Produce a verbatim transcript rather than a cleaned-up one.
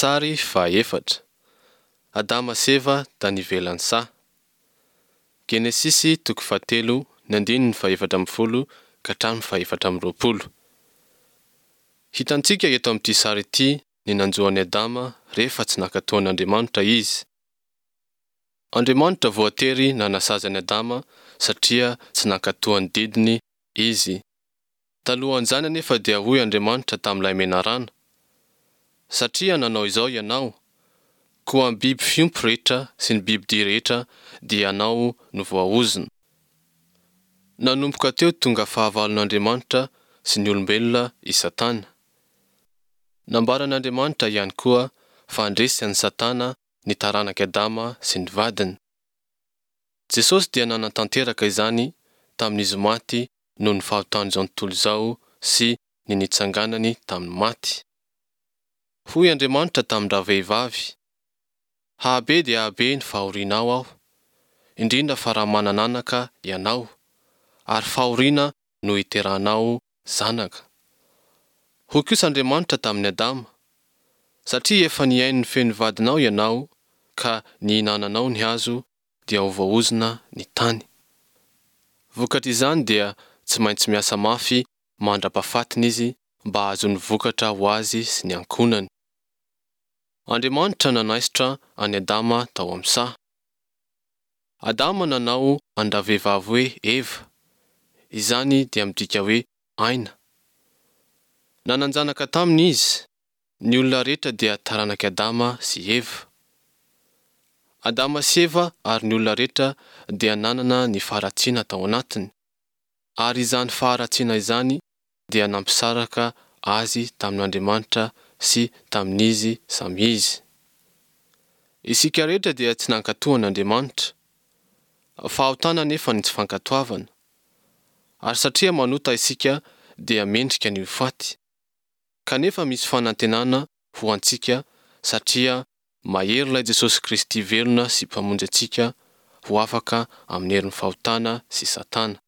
Sary fahaefatra, Adama sy Eva tany ivelan'ny saha. Genesisy toko fahatelo ny andininy fahefatra ambin'ny folo ka hatramin'ny fahefatra amby roapolo. Hitantsika eto amin'ity sary ity ny nanjo an'i Adama rehefa tsy nankatò an'Andriamanitra izy. Andriamanitra voatery nanasazy an'i Adama satria tsy nankatò ny didiny izy. Talohan'izany anefa dia hoy Andriamanitra tamin'ilay menarana, Satria nanao izao ianao, koa amin'ny biby fiompy rehetra sy ny bibi-dia rehetra dia ianao no voaozona. Nanomboka teo tonga fahavalon'Andriamanitra sy ny olombelona i Satana. Nambaran'Andriamanitra ihany koa fa handresy an'i Satana ny taranak'i Adama sy ny vadiny. Jesosy dia nanatanteraka izany tamin'Izy maty noho ny fahotan'izao tontolo izao sy ny nitsanganany tamin'ny maty. Hoy Andriamanitra tamin-dravehivavy, Hahabe dia hahabe ny fahorianao Aho, indrindra fa raha manana anaka ianao, ary fahoriana no hiterahanao zanaka. Hoy kosa Andriamanitra tamin'i Adama, Satria efa nihaino ny feon'ny vadinao ianao ka nihinananao ny hazo, dia ho voaozona ny tany. Vokatr'izany dia tsy maintsy miasa mafy mandra-pahafatiny izy mba hahazoany vokatra ho azy sy ny ankohonany. Andriamanitra nanaisotra an'i Adama tao amin'ny saha. Adama nanao an-dravehivavy hoe Eva, izany dia midika hoe aina. Nanan-janaka taminy izy, ny olona rehetra dia taranak'i Adama sy Eva. Adama sy Eva ary ny olona rehetra dia nanana ny faharatsiana tao anatiny, ary izany faharatsiana izany dia nampisaraka azy tamin'Andriamanitra sy tamin'izy samy izy. Isika rehetra dia tsy nankatò an'Andriamanitra. Fahotana anefa ny tsy fankatoavana. Ary satria manota isika dia mendrika ny ho faty. Kanefa misy fanantenana ho antsika satria mahery ilay Jesosy Kristy velona sy Mpamonjy antsika ho afaka amin'ny herin'ny fahotana sy Satana.